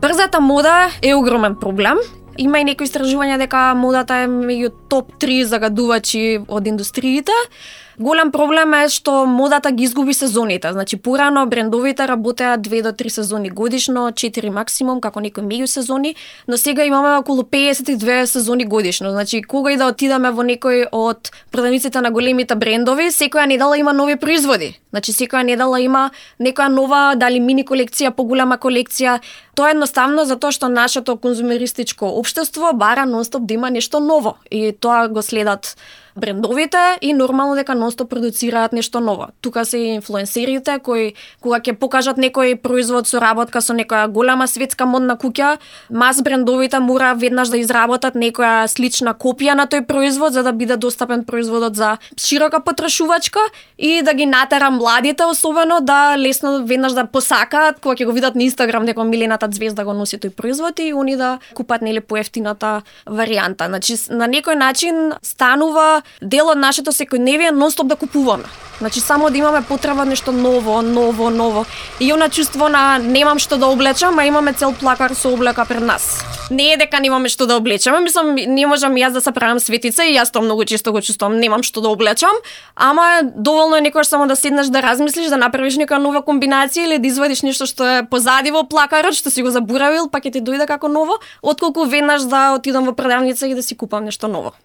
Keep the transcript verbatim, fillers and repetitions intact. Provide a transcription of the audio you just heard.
Брзата мода е огромен проблем. Има и некои истражувања дека модата е меѓу топ три загадувачи од индустриите. Голем проблем е што модата ги изгуби сезоните. Значи, порано брендовите работеа две до три сезони годишно, четири максимум, како некои меѓусезони, но сега имаме околу песет и две сезони годишно. Значи, кога и да отидеме во некој од продавниците на големите брендови, секоја недела има нови производи. Значи, секоја недела има некоја нова, дали мини колекција, поголема колекција. Тоа е едноставно затоа што нашето конзумеристичко општество бара нонстоп да има нешто ново. И тоа го следат брендовите и нормално дека нонстоп продуцираат нешто ново. Тука се и инфлуенсерите кои кога ќе покажат некој производ со работка со некоја голема светска модна куќа, мас брендовите мора веднаш да изработат некоја слична копија на тој производ за да биде достапен производот за широка потрошувачка и да ги натера младите особено да лесно веднаш да посакаат кога ќе го видат на Инстаграм дека милената звезда го носи тој производ и они да купат нели поевтината варијанта. Значи на некој начин станува дел од нашето секојдневие нонстоп да купуваме. Значи само да имаме потреба нешто ново, ново, ново. И она чувство на немам што да облечам, а имаме цел плакар со облека пред нас. Не е дека немаме што да облечеме, мислам не можам јас да се правам светица и јас тоа многу често го чувствувам, немам што да облечам, ама доволно е некогаш само да седнеш да размислиш, да направиш нека нова комбинација или да извадиш нешто што е позади во плакарот, што си го заборавил, па ќе ти дојде како ново, отколку веднаш да отидам во продавница и да си купам нешто ново.